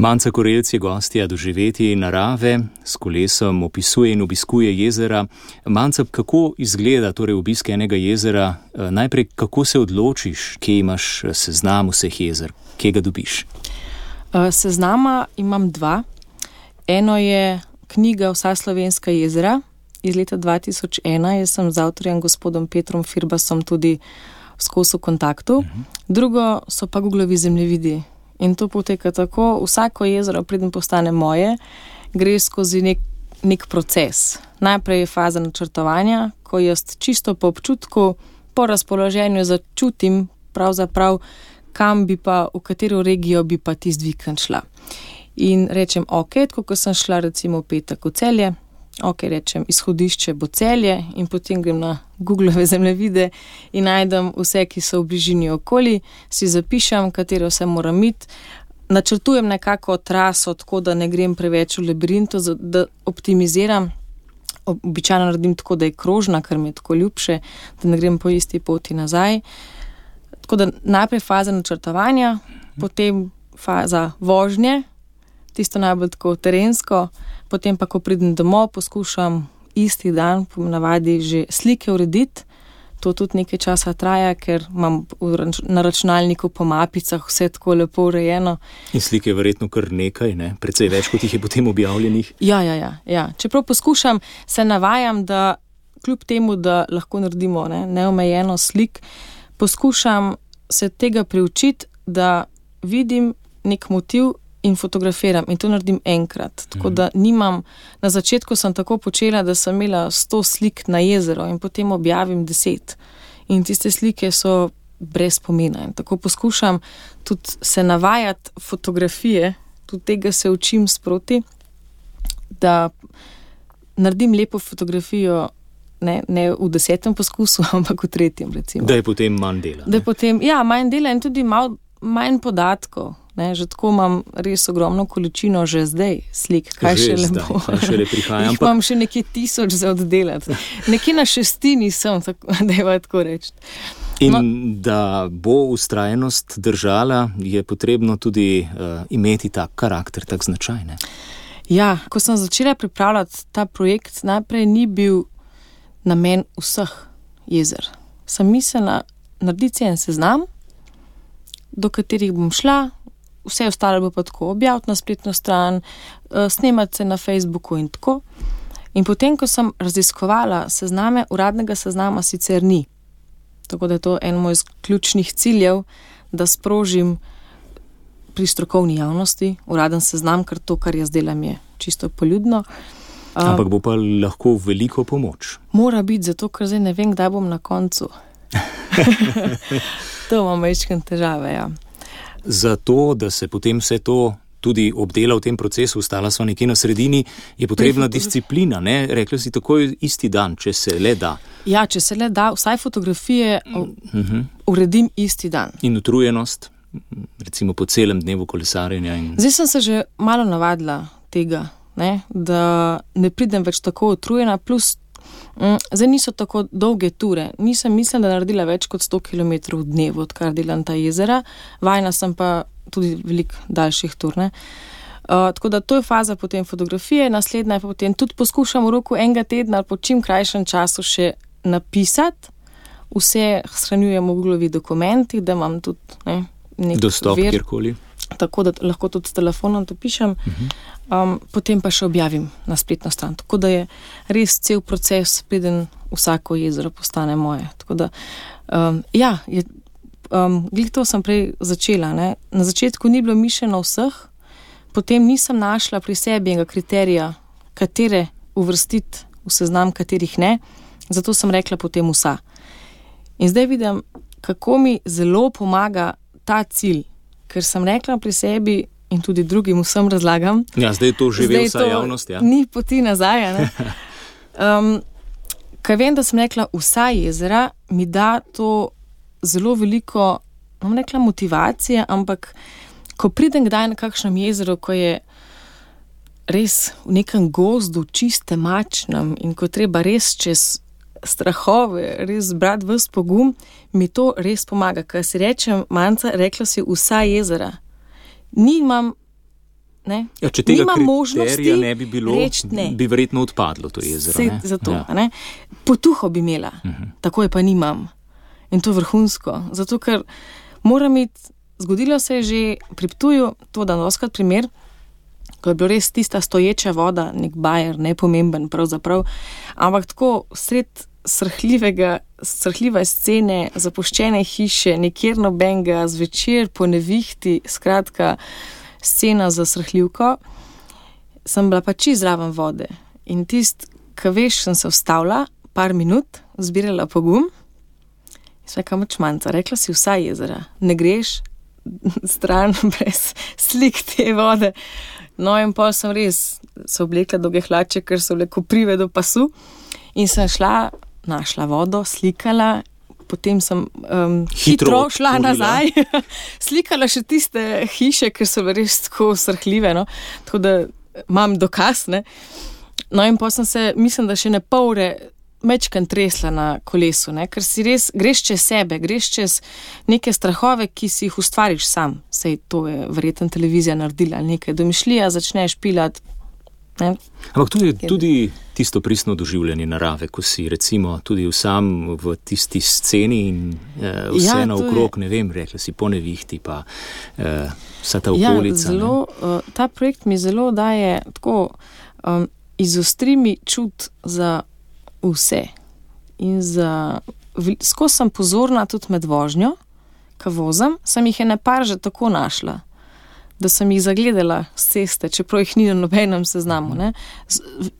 Manca Korelc je gostja Doživeti narave, s kolesom opisuje in obiskuje jezera. Manca, kako izgleda torej obisk enega jezera? Najprej, kako se odločiš, kje imaš seznam vseh jezer, kje ga dobiš? Seznama imam 2. Eno je knjiga Vsa slovenska jezera iz leta 2001. Jaz sem z avtorjem gospodom Petrom Firbasom tudi skozi v kontaktu. Drugo so pa Googlovi zemljevidi. In to poteka tako, vsako jezero, preden postane moje, gre skozi nek proces. Najprej je faza načrtovanja, ko jaz čisto po občutku, po razpoloženju začutim pravzaprav, kam bi pa, v katero regijo bi pa tisti vikend šla. In rečem, ok, tako ko sem šla recimo v petek v Celje, ok, rečem, izhodišče bo Celje in potem grem na Googlove zemljevide in najdem vse, ki so v bližini okoli, si zapišem, katero se moram iti, načrtujem nekako traso, tako da ne grem preveč v labirintu, da optimiziram, običajno naredim tako, da je krožna, ker mi je tako ljubše, da ne grem po isti poti nazaj. Tako da najprej faza načrtovanja, potem faza vožnje, tisto najbolj tako terensko, potem pa, ko pridem domov, poskušam isti dan, po navadi že slike urediti. To tudi nekaj časa traja, ker imam na računalniku po mapicah vse tako lepo urejeno. In slike je verjetno kar nekaj, ne? Precej več, kot jih je potem objavljenih. Ja. Čeprav poskušam, se navajam, da kljub temu, da lahko naredimo neomejeno slik, poskušam se tega priučiti, da vidim nek motiv in fotografiram in to naredim enkrat. Tako da nimam, na začetku sem tako počela, da sem imela 100 slik na jezero in potem objavim 10. In tiste slike so brez pomena. In tako poskušam tudi se navajati fotografije, tudi tega se učim sproti, da naredim lepo fotografijo ne v 10. poskusu, ampak v 3. recimo. Da je potem manj dela. Da je potem, manj dela in tudi manj podatkov. Že tako imam res ogromno količino že zdaj slik, kaj šele bo. Šele prihaja. Imam še nekaj 1000 za oddelati. Nekje na 6. sem, da je tako reči. In da bo vztrajnost držala, je potrebno tudi imeti tak karakter, tak značaj, ne? Ja, ko sem začela pripravljati ta projekt, najprej ni bil namen vseh jezer. Sem mislila narediti en seznam, do katerih bom šla, vse ostalo bo pa tako objaviti na spletno stran, snemati se na Facebooku in tako. In potem, ko sem raziskovala sezname, uradnega seznama sicer ni. Tako da je to en moj ključnih ciljev, da sprožim pri strokovni javnosti uraden seznam, ker to, kar jaz delam, je čisto poljudno. Ampak bo pa lahko veliko pomoč. Mora biti, zato ker zdaj ne vem, kdaj bom na koncu. To imam večkrat težave, ja. Zato, da se potem vse to tudi obdela v tem procesu, ostala sva nekje na sredini, je potrebna disciplina, ne? Rekla si takoj isti dan, če se le da. Ja, če se le da, vsaj fotografije uredim isti dan. In utrujenost, recimo po celem dnevu kolesarjenja. Zdaj sem se že malo navadila tega, ne? Da ne pridem več tako utrujena, plus zdaj niso tako dolge ture. Nisem mislila, da naredila več kot 100 km v dnevu, odkar delam ta jezera. Vajna sem pa tudi veliko daljših tur, ne. Tako da to je faza potem fotografije, naslednja je potem tudi poskušam v roku enega tedna ali po čim krajšem času še napisati. Vse shranjujem v Googlovih dokumentih, da imam tudi nek dostop kjerkoli. Tako da lahko tudi s telefonom to pišem. Potem pa še objavim na spletno stran. Tako da je res cel proces, preden vsako jezero postane moje. Tako da, glih to sem prej začela, ne. Na začetku ni bilo mišljeno vseh, potem nisem našla pri sebi enega kriterija, katere uvrstiti v seznam, katerih ne, zato sem rekla potem vsa. In zdaj vidim, kako mi zelo pomaga ta cilj, ker sem rekla pri sebi in tudi drugim vsem razlagam. Ja, zdaj to živi vsa javnost, ja. Ni poti nazaj, ne. Kaj vem, da sem rekla vsa jezera, mi da to zelo veliko, bom rekla motivacije, ampak ko pridem kdaj na kakšnem jezeru, ko je res v nekem gozdu, čiste mačnem in ko treba res čez strahove, res zbrati ves pogum, mi to res pomaga. Kaj si rečem, Manca, rekla si vsa jezera. Nimam Ne? Ja, če tega kriterija ne bi bilo, bi verjetno odpadlo to jezero. Zato, ne? Potuho bi imela, tako je pa nimam. In to je vrhunsko. Zato, ker moram iti, zgodilo se je že pri Ptuju, to dan doskrat primer, ko je bilo res tista stoječa voda, nek bajer, nepomemben pravzaprav, ampak tako sred srhljive scene, zapuščene hiše, nekjer nobenega, zvečer po nevihti, skratka, scena za srhljivko, sem bila pa čisto zraven vode. In ko veš, sem se vstavila, par minut, zbirala pogum, in sve kam čmanca, rekla si vsa jezera, ne greš stran brez slik te vode. No in pol sem res se oblekla dolge hlače, ker so bile koprive do pasu in sem našla vodo, slikala, potem sem hitro šla nazaj, slikala še tiste hiše, ker so bile res tako srhljive, no? Tako da imam dokaz, ne? No in potem sem se, mislim, da še ne pol ure mečkan tresla na kolesu, ne? Ker si res, greš čez sebe, greš čez neke strahove, ki si jih ustvariš sam. Sej to je verjetno televizija naredila, nekaj domišljija, začneš pilati. Ne? Ampak tu je tudi tisto pristno doživljanje narave, ko si recimo tudi sam v tisti sceni in vse naokrog, ne vem, rekla si po nevihti, pa vsa ta okolica. Ja, ta projekt mi zelo daje tako, izostri mi čut za vse. In skozi sem pozorna tudi med vožnjo, ko vozim, sem jih ene par že tako našla, da sem jih zagledala s ceste, čeprav jih ni na nobenem seznamu. Ne?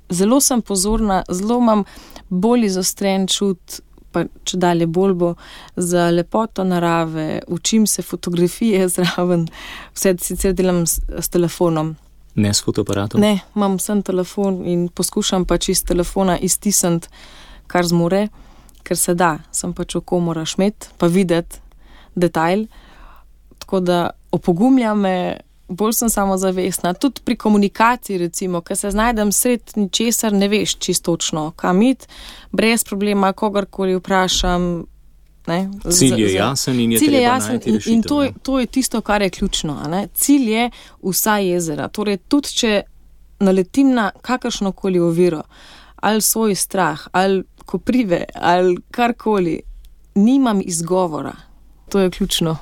Zelo sem pozorna, zelo imam bolj izostren čut, pa če dalje bolj bo, za lepoto narave, učim se fotografije zraven, vse sicer delam s telefonom. Ne s fotoaparatom? Ne, imam sem telefon in poskušam pač iz telefona iztisniti, kar zmore, ker se da, sem pač oko moraš imeti, pa videti detajl, tako da opogumlja me, bolj sem samozavestna, tudi pri komunikaciji recimo, ker se znajdem sred ničesar, ne veš čistočno, kam iti, brez problema, kogarkoli vprašam. Ne? Cilj je jasen in je treba najti rešitev. In to je tisto, kar je ključno. Ne? Cilj je vsa jezera. Torej, tudi če naletim na kakršnokoli oviro, ali svoj strah, ali koprive, ali karkoli, nimam izgovora. To je ključno.